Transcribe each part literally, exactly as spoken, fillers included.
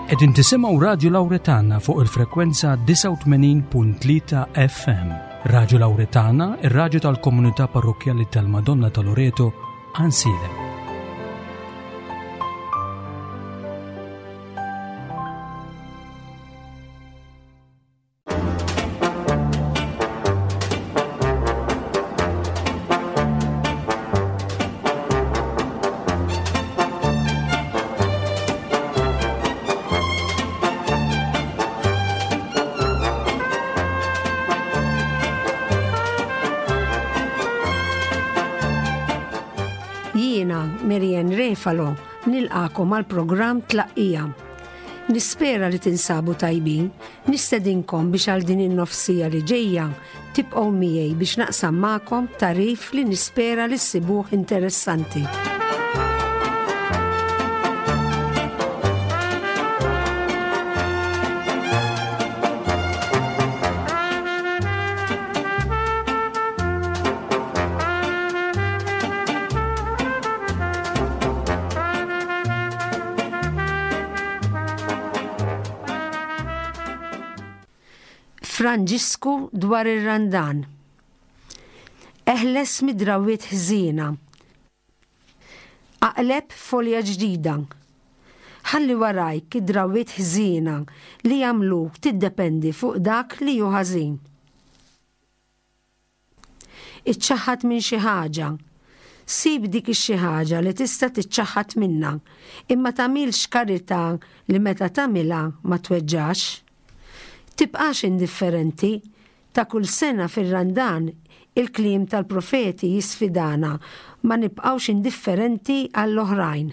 Qegħdin tisimgħu Radju Lawretana fuq il-frekwenza disgħa u tmenin punt tlieta F M. Radju Lawretana, ir-radju tal-Komunità Parrokkjali tal-Madonna ta' Loreto, Għajnsielem. Jiena, Marianne Refalo, nilqagħkom għal programm Tlaqqija. Nispera li tinsabu tajbin, nistedinkom biex għal din in-nofs siegħa li ġejja tibqgħu miegħi biex naqsam magħkom tagħrif li nispera li ssibuh interessanti. Franġisku dwar ir-Randan. Eħles mid-drawwiet ħżiena. Aqleb folja ġdida. Ħalli warajk id-drawwiet ħżiena li jagħmluk tiddependi fuq dak li hu ħażin. Iċċaħħad minn xi ħaġa. Sib dik ix-xi ħaġa li tista' tiċċaħħad minnha, imma tagħmilx karità li meta tagħmilha ma tweġġax. Tibqax indifferenti. Ta' kull sena fir-Randan il-kliem tal-profeti jisfidana ma nibqawx indifferenti għall-oħrajn.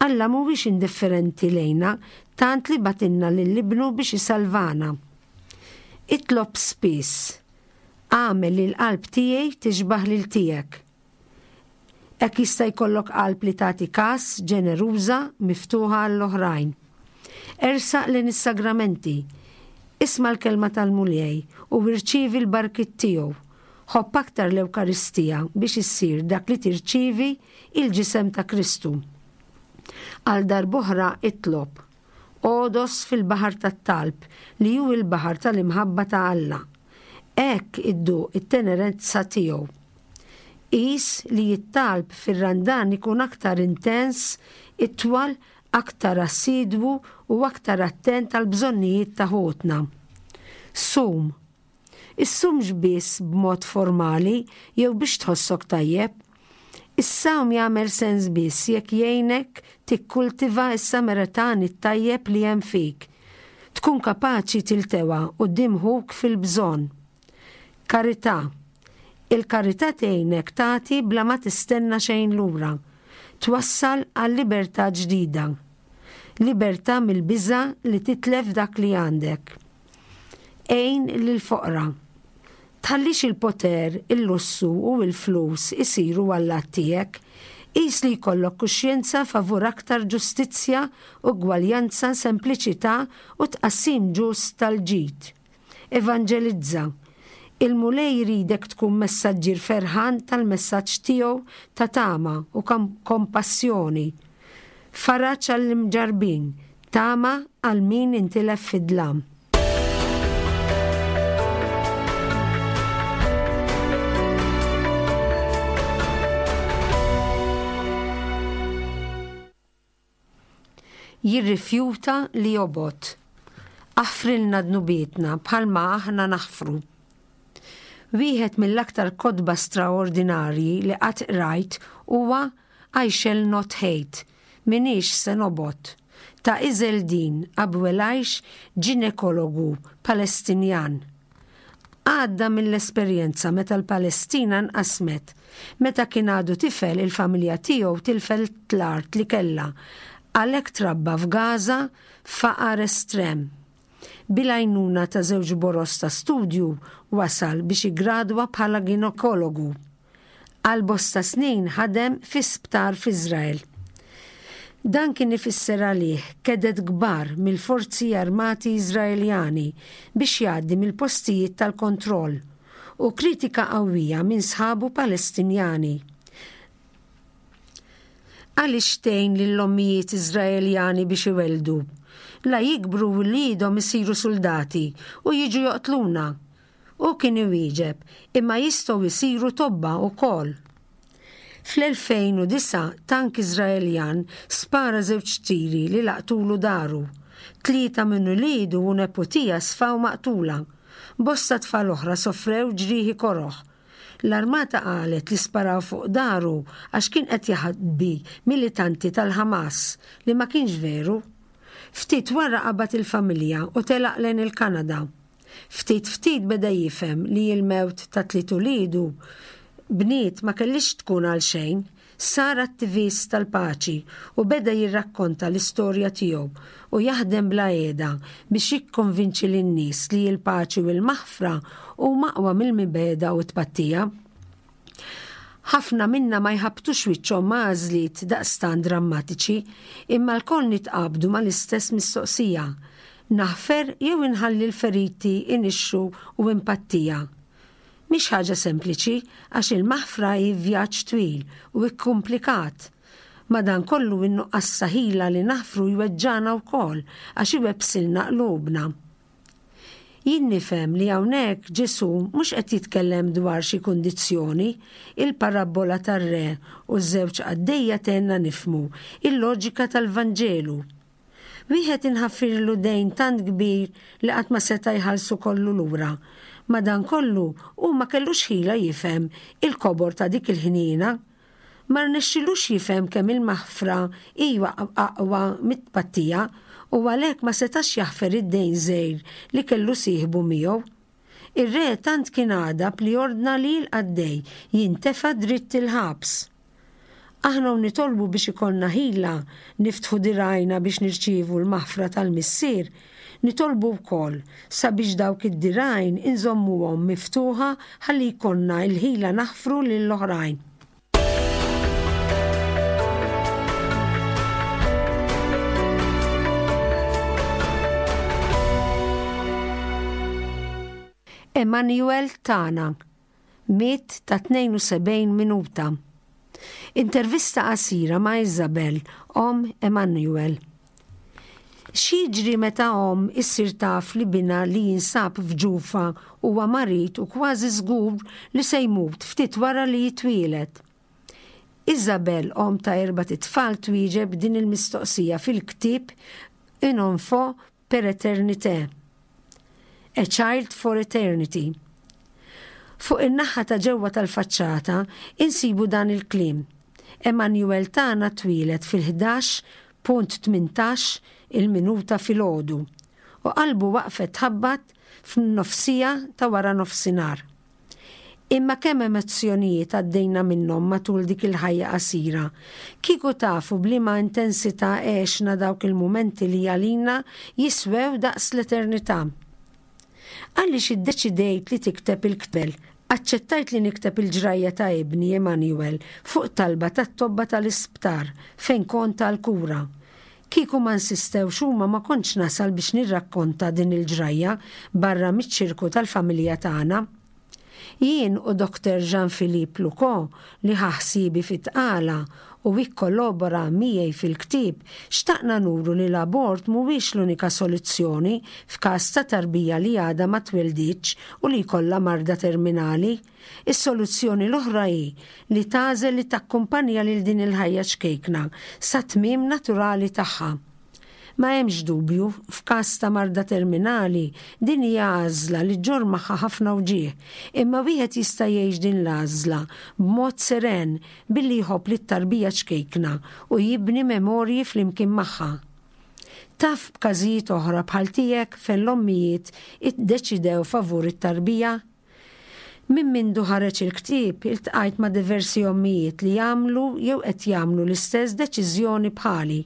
Alla mhuwiex indifferenti lejna tant li bagħtilna lil Ibnu biex isalvana. Itlob spiss. Agħmel li l-qalb tiegħi tixbaħ lil tiegħek. Hekk jista' jkollok qalb li tagħti kas, ġeneruża, miftuħa għall-oħrajn. Ersaq lejn is-sagramenti. Isma' l-kelma tal-Mulej u irċievi l-barkiet tiegħu. Ħobb aktar l-Ewkaristija biex issir dak li tirċievi, il-ġisem ta' Kristu. Għal darb'oħra itlob. Għodos fil-baħar tat-talb li hu il-baħar tal-imħabba ta' Alla. Hekk idduq it-tenerezza tiegħu. Qis li t-talb fir-Randan ikun aktar intens, itwal, aktar assidwu u aktar attent għal bżonnijiet ta' ħutna. Sum. Issumx biss b'mod formali jew biex tħossok tajjeb. Is-sawm jagħmel sens biss jekk jgħinek tikkultiva s-Samaritan it-tajjeb li hemm fik. Tkun kapaċi tiltewa quddiem ħuk fil-bżonn. Karità. Il-karità tgħinek tagħti bla ma tistenna xejn lura. Twassal għal libertà ġdida. Libertà mill-biża li titlef dak li għandek. Għin lil-foqra. Tħallix il-poter, il-lussu u il-flus isiru għallat tiegħek. Qis li jkollok kuxjenza favur aktar ġustizzja, ugwaljanza, sempliċità u tqassim ġust tal-ġid. Evangelizza. Il-Mulej jridek tkun messaġġier ferħan tal-messaġġ tiegħu ta' tama u kompassjoni. Faraġ għall-imġarbin, tama għal min intilef fid-dlam. Jirrifjuta li jobgħod. Aħfrilna dnubietna bħalma aħna naħfru. Wieħed mill-aktar kotba straordinarji li qatt rajt huwa I Shall Not Hate, M'iniex se nobgħod, ta' Izzeldin Abuelaish, ġinekologu Palestinjan. Għadda mill-esperjenza meta l-Palestina nqasmet. Meta kien għadu tifel, il-familja tiegħu tilfet l-art li kella. Għalhekk trabba f'Gaza faqar estrem. Bil-għajnuna ta' żewġ boroż ta' studju wasal biex igradwa bħala ginekologu. Għal bosta snin ħadem fi sptar f'Iżrael. Dan kien ifisser għalih keded kbar mill-forzi armati Iżraeljani biex jgħaddi mill-postijiet tal-kontroll u kritika qawwija minn sħabu Palestinjani. "Għaliex tgħin lill-ommijiet Iżraeljani biex iweldu?" La jikbru wliedhom isiru suldati u jiġu joqtluna. U kien iwieġeb, imma jistgħu jsiru tobba wkoll. Fl-elfejn u disgħa tank Iżraeljan spara żewġ tiri li laqtulu daru. Tlieta minn uliedu u neputija sfaw maqtula. Bosta tfal oħra sofrew ġrieħi koroh. L-armata qalet li sparaw fuq daru għax kien qed jaħbi militanti tal-Ħamas, li ma kienx veru. Ftit wara qabad il-familja u telaq lejn il-Kanada. Ftit ftit beda jifhem li l-mewt ta' tliet uliedu bniet ma kellix tkun għal xejn. Sar attivist tal-paċi u beda jirrakkonta l-istorja tiegħu u jaħdem bla qiegħda biex jikkonvinċi lin-nies li l-paċi u l-maħfra huma aqwa mill-mibegħda u t-tpattija. Ħafna minna ma jħabbtux wiċċhom ma' għażliet daqstant drammatiċi, imma lkoll nitqabdu mal-istess mistoqsija. Naħfer jew inħalli l-feriti inixxu u impattija. Mhix ħaġa sempliċi għax il-maħfra hi vjaġġ twil u ikkumplikat. Madankollu in-nuqqas ta' ħila li naħfru jweġġana wkoll għax iwebbsilna qlubna. Jien nifhem li hawnhekk Ġesù mhux qed jitkellem dwar xi kundizzjoni, il-parabbola tar-re u ż-żewġ qaddejja tgħinna nifhmu il-loġika tal-Vanġelu. Wieħed inħaffirlu dejn tant kbir li qatt ma seta' jħallsu kollu lura. Madankollu hu ma kellux ħila jifhem il-kobor ta' dik il-ħniena. Ma rnexxilux jifhem kemm il-maħfra hija aqwa mit-tpattija u għalhekk ma setax jaħfer id-dejn żgħir li kellu sieħbu miegħu. Ir-re tant kien għadab li ordna li l-qaddej jintefa' dritt il-ħabs. Aħna u nitolbu biex ikollna ħila niftħu dirgħajna biex nirċievu l-maħfra tal-Missier, nitolbu wkoll sabiex dawk id-dirgħajn inżommuhom miftuħa ħalli jkollna l-ħila naħfru lill-oħrajn. Emmanuel tagħna miet ta' tnejn u sebgħin minuta. Intervista qasira ma' Isabel, omm Emmanuel. X'jiġri meta omm issir taf li binha li jinsab f'ġufa huwa marid u kważi żgur li se jmut ftit wara li jitwieled? Isabel, omm ta' erbat itfal, twieġeb din il-mistoqsija fil-ktieb Un enfant per éternité, A Child for Eternity. Fuq in-naħa ta' ġewwa tal-faċċata insibu dan il-kliem. Emmanuel tagħna twieled fil-ħdax punt tmintax il-minuta filgħodu u qalbu waqfet tħabbat f'nofsija ta' wara nofsinhar. Imma kemm emozzjonijiet għaddejna minnhom matul dik il-ħajja qasira. Kieku tafu b'liema intensità għexna dawk il-mumenti li għalina jiswew daqs l-eternità. Għaliex iddeċidejt li tikteb il-ktieb? Aċċettajt li nikteb il-ġrajja ta' ibni Emmanuel fuq talba tat-tobba tal-isptar fejn kont għall-kura. Kieku ma nsistewx huma ma kontx nasal biex nirrakkonta din il-ġrajja barra miċ-ċirku tal-familja tagħna. Jien u Doktor Jean-Philippe Lucot li ħa ħsiebi fit-tqala u ikkollabora miegħi fil-ktieb, xtaqna nuru li l-abort mhuwiex l-unika soluzzjoni f'każ ta' tarbija li għadha ma twilditx u li jkollha marda terminali. Is-soluzzjoni l-oħra hi li tagħżel li takkumpanja lil din il-ħajja ċkejkna sa tmiem naturali tagħha. Ma hemmx dubju, f'każ ta' marda terminali, din hija għażla li ġġorr magħha ħafna wġigħ, imma wieħed jista' jgħix din l-għażla b'mod seren billi jħobb lit-tarbija ċkejkna u jibni memorji flimkien magħha. Taf b'każijiet oħra bħal tiegħek fejn l-ommijiet iddeċidew favur it-tarbija? Minn mindu ħareġ il-ktieb, iltqajt ma' diversi ommijiet li jagħmlu jew qed jagħmlu l-istess deċiżjoni bħali.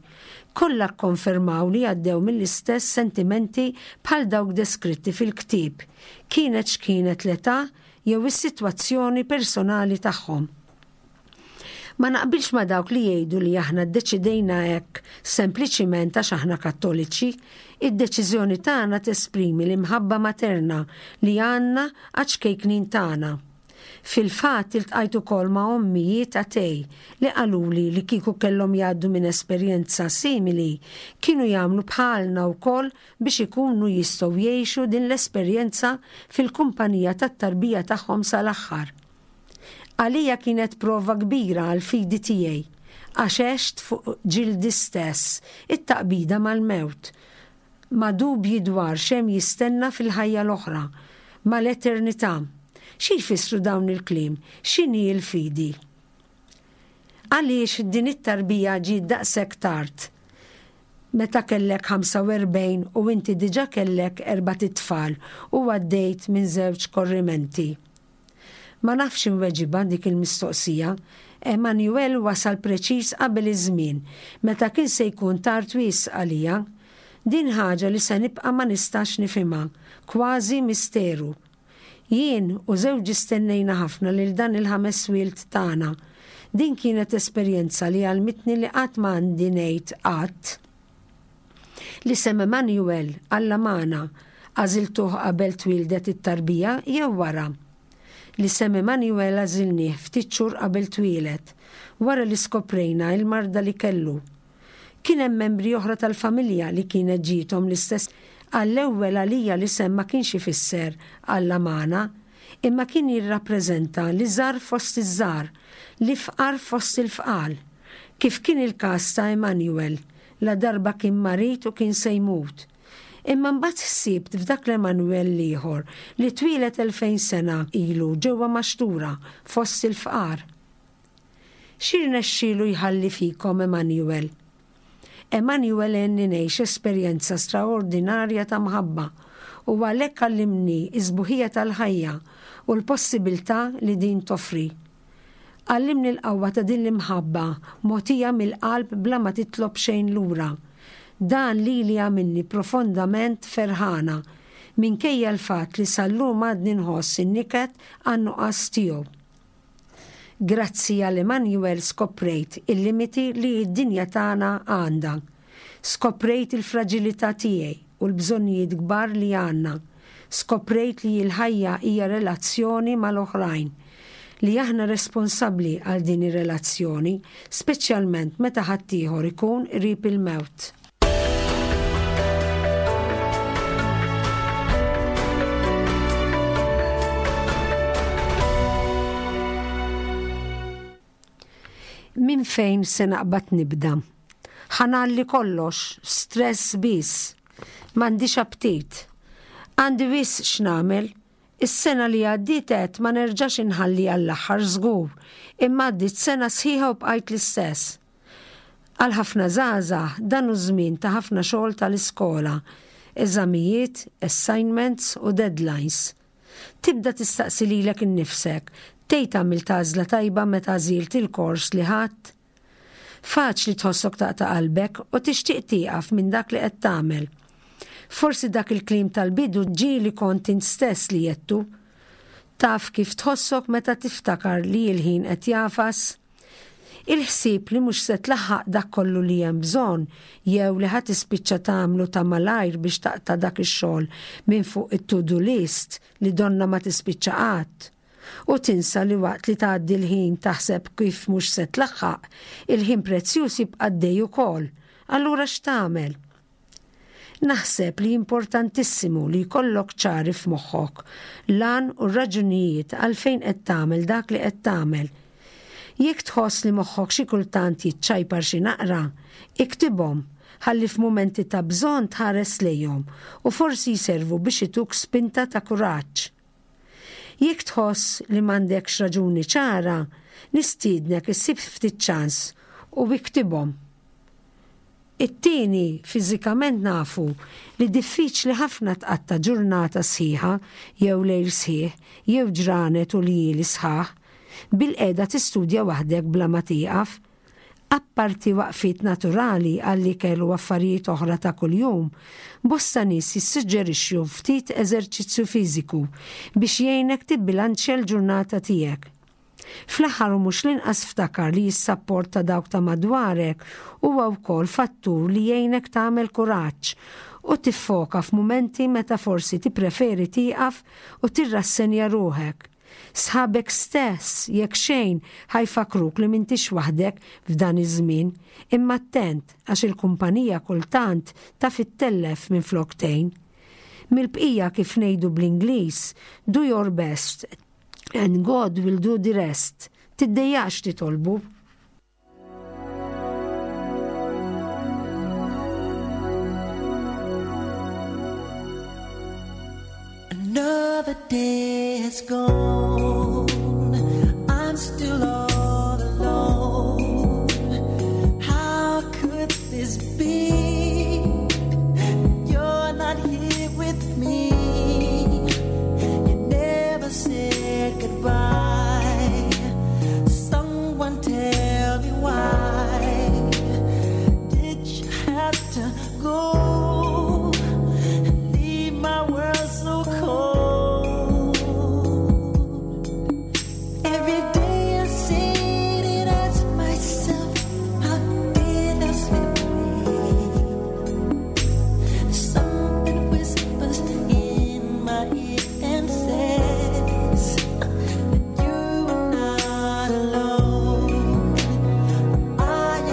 Kollha kkonfermaw li għaddew mill-istess sentimenti bħal dawk deskritti fil-ktieb, kienet x'kienet l-età jew is-sitwazzjoni personali tagħhom. Ma naqbilx ma' dawk li jgħidu li aħna ddeċidejna hekk sempliċiment għax aħna kattoliċi. Id-deċiżjoni tagħna tesprimi l-imħabba materna li għandna għax ċkejknin tagħna. Fil-fatt iltqajt ukoll ma' ommijiet atej li qaluli li kieku kellhom jgħaddu minn esperjenza simili kienu jagħmlu bħalna wkoll biex ikunu jistgħu jgħixu din l-esperjenza fil-kumpanija tat-tarbija tagħhom sal-aħħar. Għalija kienet prova kbira għall-fidi tiegħi għax għext fuq ġildi stess it-taqbida mal-mewt, ma' dubji dwar x'hemm jistenna fil-ħajja l-oħra, mal-eternità. Xi jfissru dawn il-kliem? X'inhi l-fidi? Għaliex din it-tarbija ġiet daqshekk tard? Meta kellek ħamsa u erbgħin u inti diġà kellek erbat itfal u għaddejt minn żewġ korrimenti. Ma nafx inweġibha dik il-mistoqsija. Emanuel wasal preċiż qabel iż-żmien, meta kien se jkun tard wisq għalija. Din ħaġa li se nibqa' ma nistax nifhimha, kważi misteru. Jien u żewġi stennejna ħafna lil dan il-ħames wild tagħna. Din kienet esperjenza li għallmitni li qatt ma għandi ngħid qatt. L-isem Emanuel, Alla magħna, għażiltuh qabel twieldet it-tarbija jew wara? L-isem Emanuel għażilnieh ftit xhur qabel twieled, wara li skoprejna il-marda li kellu. Kien hemm membri oħra tal-familja li kienet ġiethom l-istess. Għall-ewwel għalija l-isem ma kienx ifisser Alla magħna, imma kien jirrappreżenta l-iżgħar fost iż-żgħar, l-ifqar fost il-fqal. Kif kien il-każ ta' Emanuel, la darba kien marid u kien se jmut. Imma mbagħad ħsibt f'dak l-Emanuel l-ieħor li twieled elfejn sena ilu ġewwa maxtura fost il-fqar. Xi rnexxielu jħalli fikom Emanuel? Emanuel għenni ngħix esperjenza straordinarja ta' mħabba u għalhekk għallimni s-sbuħija tal-ħajja u l-possibilità li din toffri. Għallimni l-qawwa ta' din l-imħabba mogħtija mill-qalb bla ma titlob xejn lura. Dan lili għamilni profondament ferħana minkejja l-fatt li sal-lum għadni nħoss in-niket għan-nuqqas tiegħu. Grazzi għal Emanuel skoprejt il-limiti li d-dinja tagħna għandha. Skoprejt il-fragilità tiegħi u l-bżonnijiet kbar li għandna. Skoprejt li l-ħajja hija relazzjoni mal-oħrajn, li aħna responsabbli għal din ir-relazzjoni, speċjalment meta ħaddieħor ikun qrib il-mewt. Min fejn se naqbad nibda? Ħanalli kollox, stress biss. M'għandix aptit. Għandi wisq x'nagħmel. Is-sena li għaddiet għedt ma nerġax inħalli għall-aħħar żgur, imma għaddiet sena sħiħa u bqajt l-istess. Għal ħafna żgħażagħ dan hu żmien ta' ħafna xogħol tal-iskola, eżamijiet, assignments u deadlines. Tibda tistaqsi lilek innifsek, tgħid għamilt għażla tajba meta għażilt il-kors li ħadd? Faċli tħossok taqta' qalbek u tixtieq tieqaf minn dak li qed tagħmel. Forsi dak il-kliem tal-bidu ġieli kont int stess li jettu. Taf kif tħossok meta tiftakar li l-ħin qed jafas? Il-ħsieb li mhux se tlaħħaq dak kollu li hemm bżonn jew li ħadd tispiċċa tagħmlu ta' malajr biex taqta' dak ix-xogħol minn fuq it-to-do list li donna ma tispiċċa qatt. U tinsa li waqt li tgħaddi l-ħin taħseb kif mhux se tlaħħaq, il-ħin prezzjuż jibqa' għaddej ukoll. Allura x'tagħmel? Naħseb li importantissimu li jkollok ċari f'moħħok l-għan u r-raġunijiet għalfejn qed tagħmel dak li qed tagħmel. Jekk tħoss li moħħok xi kultant jiċċajpar xi naqra, iktibhom ħalli f'mumenti ta' bżonn tħares lejhom u forsi jservu biex ituk spinta ta' kuraġġ. Jekk tħoss li m'għandekx raġuni ċara, nistiednek issib ftit ċans u iktibhom. It-tieni, fiżikament nafu li diffiċli ħafna tqatta' ġurnata sħiħa jew lejl sħiħ jew ġranet u ljieli sħaħ bil-qiegħda tistudja waħdek bla ma tieqaf. Apparti waqfiet naturali għall-ikel u affarijiet oħra ta' kuljum, bosta nies jissuġġerixxu ftit eżerċizzju fiżiku biex jgħinek tibbilanċja l-ġurnata tiegħek. Fl-aħħar u mhux l-inqas ftakar li s-sapport ta' dawk ta' madwarek huwa wkoll fattur li jgħinek tagħmel kuraġġ u tiffoka f'mumenti meta forsi tippreferi tieqaf u tirrassenja ruħek. Sħabek stess jekk xejn ħa jfakkruk li m'intix waħdek f'dan iż-żmien, imma attent għax il-kumpanija kultant taf ittellef minflok tgħin. Mill-bqija kif ngħidu bl-Ingliż, do your best and God will do the rest. Tiddejjaqx titolbu. Another day has gone. I'm still all alone. How could this be? You're not here with me. You never said goodbye. Someone tell me why. Did you have to go and leave my world so cold? Every day I sit and ask myself, how did I slip away? Something whispers in my ear and says that you are not alone. I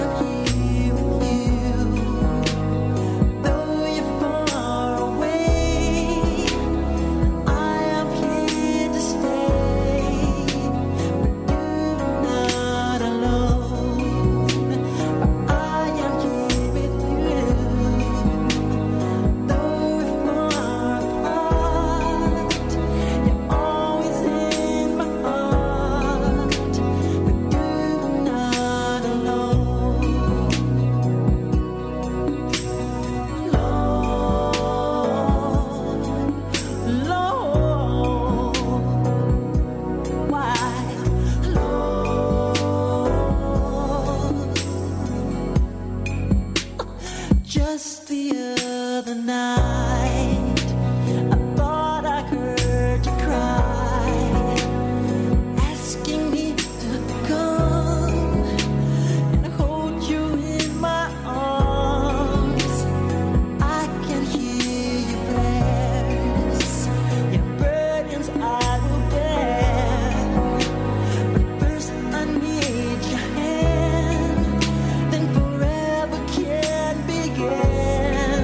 am here with you, though you're far away. I am here to stay, but you're not alone. I am here with you, though we're far apart. You're always in my heart, but you're not alone. Lord, Lord, why, Lord? Just the other night, I thought I heard you cry, asking me to come and hold you in my arms. I can hear your prayers, your burdens I will bear. But first I need your hand, then forever can begin.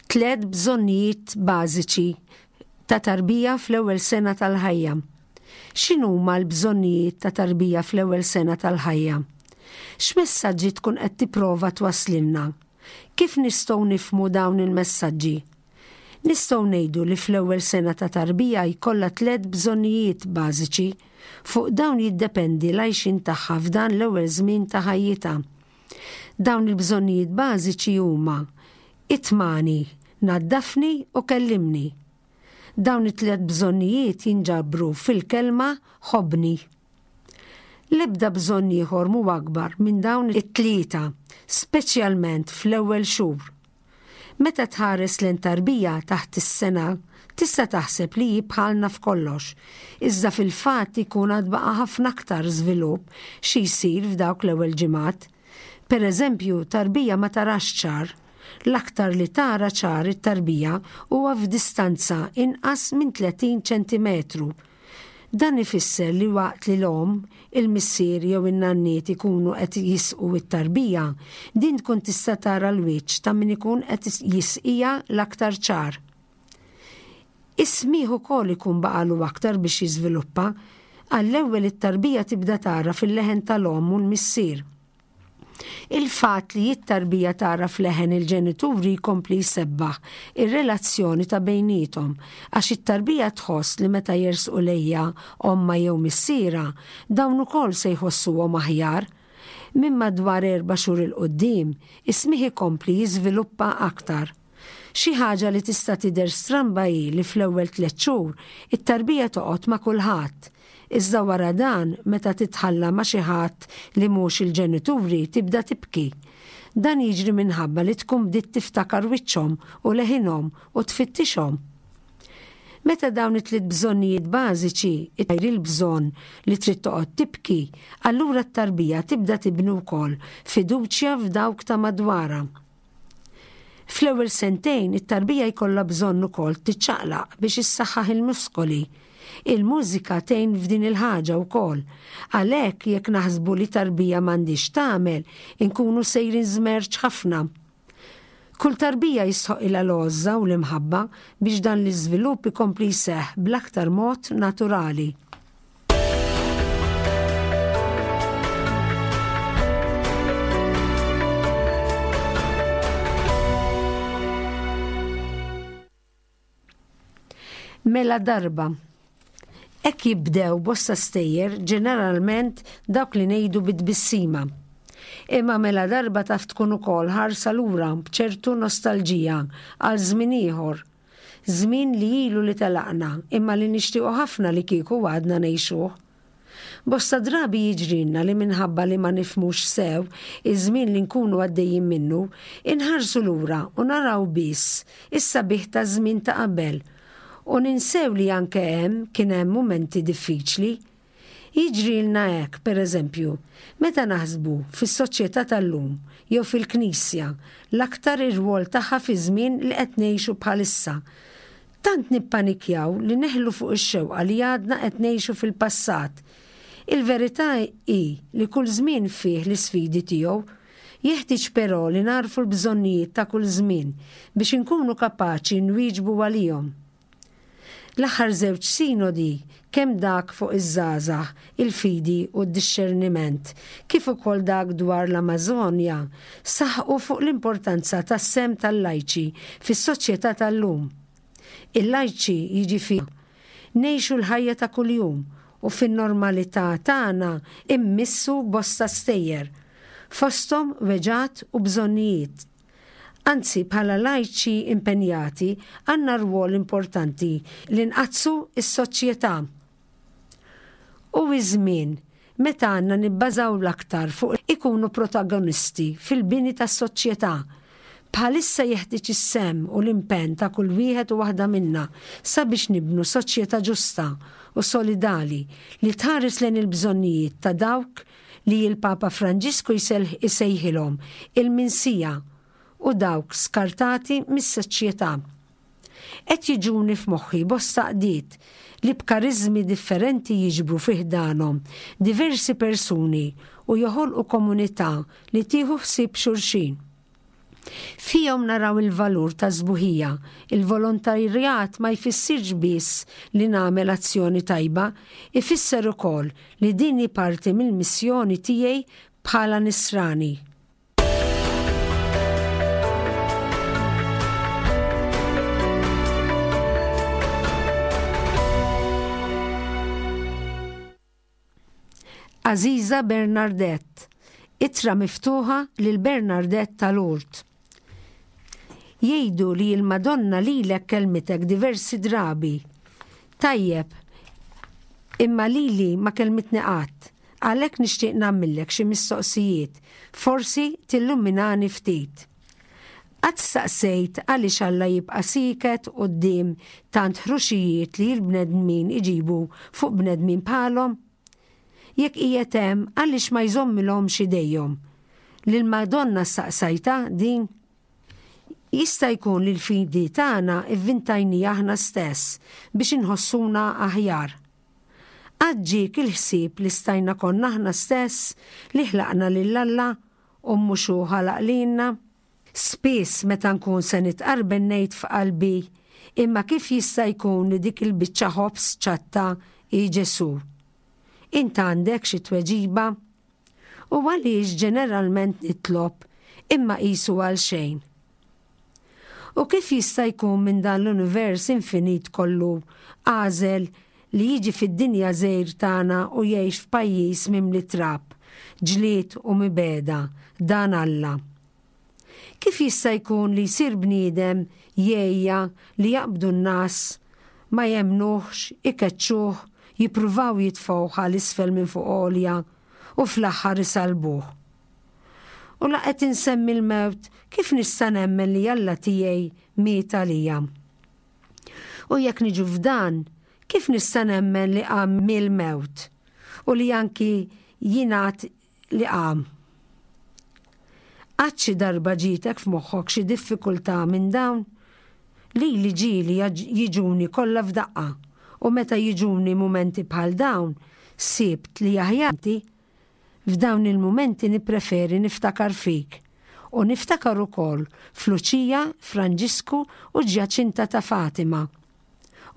Tliet bżonnijiet bażiċi ta' tarbija fl-ewwel sena tal-ħajja. X'inhuma l-bżonnijiet ta' tarbija fl-ewwel sena tal-ħajja? X'messaġġi tkun qed tipprova twasslilna? Kif nistgħu nifhmu dawn il-messaġġi? Nistgħu ngħidu li fl-ewwel sena ta' tarbija jkollha tliet bżonnijiet bażiċi. Fuq dawn jiddependi l-għajxien tagħha f'dan l-ewwel żmien ta' ħajjitha. Dawn il-bżonnijiet bażiċi huma: itmagħni, naddafni u kellimni. Dawn it-tliet bżonnijiet jinġabru fil-kelma "ħobbni". L-ebda bżonn ieħor mhu akbar minn dawn it-tlieta, speċjalment fl-ewwel xhur. Meta tħares lejn tarbija taħt is-sena, tista' taħseb li hi bħalna f'kollox, iżda fil-fatt ikun għad baqa' ħafna aktar żvilupp xi jsir f'dawk l-ewwel ġimgħat. Per eżempju, tarbija ma tarax ċar. L-aktar li tara ċar it-tarbija huwa f'distanza inqas minn tletin ċentimetru. Dan ifisser li waqt li l-omm, il-missier jew in-nanniet ikunu qed jisqu it-tarbija, din tkun tista' tara l-wiċċ ta' min ikun qed jisqija l-aktar ċar. Is-smigħ ukoll ikun baqalu aktar biex jiżviluppa. Għall-ewwel it-tarbija tibda tara fil-leħen tal-omm u l-missier. Il-fatt li t-tarbija tara f'leħen il-ġenituri jkompli jsebbaħ ir-relazzjoni ta' bejniethom, għax it-tarbija tħoss li meta jersqu lejha ommha jew missiera, dawn ukoll se jħossuhom aħjar. Minn madwar erba' xhur 'il quddiem, is-smigħ ikompli jiżviluppa aktar. Xi ħaġa li tista' tidher stramba hi li fl-ewwel tliet xhur it-tarbija toqgħod ma' kulħadd. Iżda wara dan, meta titħalla ma' xi ħadd li mhux il-ġenituri, tibda tibki. Dan jiġri minħabba li tkun bdiet tiftakar wiċċhom u leħinhom u tfittixhom. Meta dawn it-tliet bżonnijiet bażiċi għajr il-bżonn li trid toqgħod tibki, allura t-tarbija tibda tibni wkoll fiduċja f'dawk ta' madwarha. Fl-ewwel sentejn it-tarbija jkollha bżonn ukoll tiċċaqlaq biex issaħħaħ il-muskoli. Il-mużika tgħin f'din il-ħaġa wkoll. Għalhekk jekk naħsbu li tarbija m'għandix tagħmel, inkunu sejrin żmerċ ħafna. Kull tarbija jistħoqilha l-għożża u l-imħabba biex dan l-iżvilupp ikompli jseħħ bl-aktar mod naturali. Mela darba. Hekk jibdew bosta stejjer, ġeneralment dawk li ngħidu bit-tbissima. Imma mela darba taf tkun ukoll ħarsa lura b'ċertu nostalġija għal żmien ieħor. Żmien li ilu li telaqna imma li nixtiequ ħafna li kieku għadna ngħixuh. Bosta drabi jiġrilna li minħabba li ma nifhmux sew iż-żmien li nkunu għaddejjin minnu, inħarsu lura u naraw biss is-sabiħ ta' żmien ta' qabel u ninsew li anke hemm kien hemm mumenti diffiċli. Jiġrilna hekk, pereżempju, meta naħsbu fis-soċjetà tal-lum jew fil-Knisja, l-aktar ir-rwol tagħha fi żmien li qed ngħixu bħalissa. Tant nippanikjaw li neħlu fuq ix-xewqa li għadna qed ngħixu fil-passat. Il-verità hi li kull żmien fih l-isfidi tiegħu. Jeħtieġ però li narfu l-bżonnijiet ta' kull żmien biex inkunu kapaċi nwieġbu għalihom. L-aħħar żewġ sinodi, kemm dak fuq iż-żgħażagħ, il-fidi u d-dixxerniment, kif ukoll dak dwar l-Amazonja, saħqu fuq l-importanza tas-sehem tal-lajċi fis-soċjetà tal-lum. Il-lajċi jiġifieri ngħixu l-ħajja ta' kuljum u fin-normalità tagħna immissu bosta stejjer, fosthom weġgħat u bżonnijiet. Anzi, bħala lajċi impenjati għandna rwol importanti li nqaddsu s-soċjetà. U iż-żmien meta għandna nibbażaw l-aktar fuq ikunu protagonisti fil-bini tas-soċjetà. Bħalissa jeħtieġ is-sehem u l-impenn ta' kull wieħed u waħda minna sabiex nibnu soċjetà ġusta u solidali li tħares lejn il-bżonnijiet ta' dawk li l-Papa Franġisku jsejħilhom il-minsija u dawk skartati mis-soċjetà. Qed jiġuni f'moħħi bosta qdiet li b'kariżmi differenti jiġbru fi ħdanhom diversi persuni u joħolqu komunità li tieħu ħsieb xulxin. Fihom naraw il-valur ta' sbuħija. Il-volontarjat ma jfissirx biss li nagħmel azzjoni tajba, ifisser ukoll li din hi parti mill-missjoni tiegħi bħala nisrani. Għażiża Bernardette, ittra miftuħa lil Bernardette ta' Lourdes. Jgħidu li l-Madonna lilek kelmitek diversi drabi. Tajjeb, imma lili ma kelmitni qatt, għalhekk nixtieq nagħmillek xi mistoqsijiet, forsi tilluminani ftit. Qatt staqsejt għaliex Alla jibqa' sieket quddiem tant ħruxijiet li l-bnedmin iġibu fuq bnedmin bħalhom? Jekk qiegħed hemm għaliex ma jżommilhomx idejhom? Lil Madonna staqsajta din? Jista' jkun li l-fidi tagħna ivvintajni aħna stess biex inħossuna aħjar. Qatt ġiek il-ħsieb li stajna konna aħna stess li ħlaqna lil Alla u mhux hu ħalaq lilna? Spiss meta nkun se nitqarben ngħid f'qalbi, imma kif jista' jkun li dik il-biċċa ħobż ċatta hi Ġesù? Int għandek xi tweġiba? U għaliex ġeneralment nitlob imma qisu għal xejn? U kif jista' jkun minn dan l-univers infinit kollu għażel li jiġi fid-dinja żgħir tagħna u jgħix f'pajjiż mimli trab, ġlied u mibegħda, dan Alla? Kif jista' jkun li jsir bniedem jgħejja li jaqbdu n-nas, ma jemnuhx, ikeċċuh, jippruvaw jitfgħuh għal isfel minn fuq għolja u fl-aħħar isalbuh? U la qed insemmi l-mewt, kif nista' nemmen li Alla tiegħi miet għalija? U jekk niġu f'dan, kif nista' nemmen li qam mill-mewt u li anki jingħad li qam? Qatt xi darba ġietek f'moħħok xi diffikultà minn dawn? Li li ġieli jiġuni kollha f'daqqa, u meta jiġuni mumenti bħal dawn, sibt li aħjar f'dawn il-mumenti nippreferi niftakar fik u niftakar ukoll f'Luċija, Franġisku u Ġjaċinta ta' Fatima.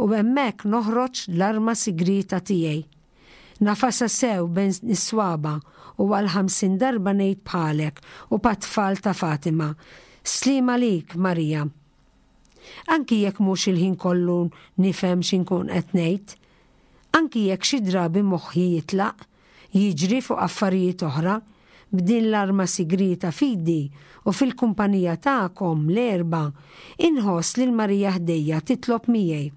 U hemmhekk noħroġ l-arma sigrita tiegħi. Nafasa sew bejn is-swaba u għal ħamsin darba ngħid bħalek u pat-tfal ta' Fatima. Sliem għalik, Marija. Anki jekk mhux il-ħin kollu nifhem x'inkun qed ngħid, anki jekk xi drabi moħħi jitlaq, jiġri fuq affarijiet oħra, b'din l-arma sigrita fidi u fil-kumpanija tagħkom l-erba, inħoss lil Marija ħdejja titlob miegħi.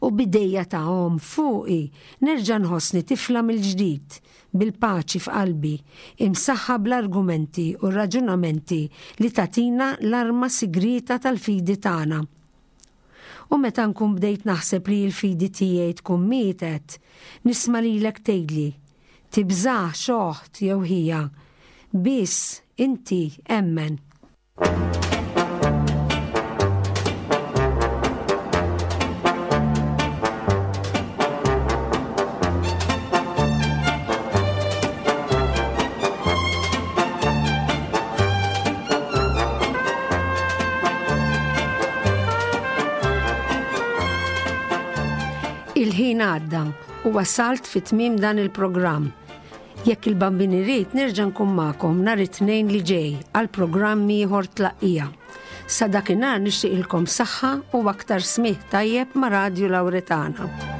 U bidejja ta' omm fuqi nerġa' nħossni tifla mill-ġdid, bil-paċi f'qalbi, imsaħħa bl-argumenti u raġunamenti li tatina l-arma sigrita tal-fidi tagħna. U meta nkun bdejt naħseb li l-fidi tiegħi tkun mietet, nisma' lilek tgħidli, tibżax oħt jew ħija, biss inti emmen. Il-ħin għadda u wasalt fi tmiem dan il-programm. Jekk il-Bambin irid nerġa' nkun magħkom nhar it-Tnejn li ġej għal programm ieħor Tlaqqija. Sa dakinhar nixtieqilkom saħħa u aktar smigħ tajjeb ma' Radju Lawretana.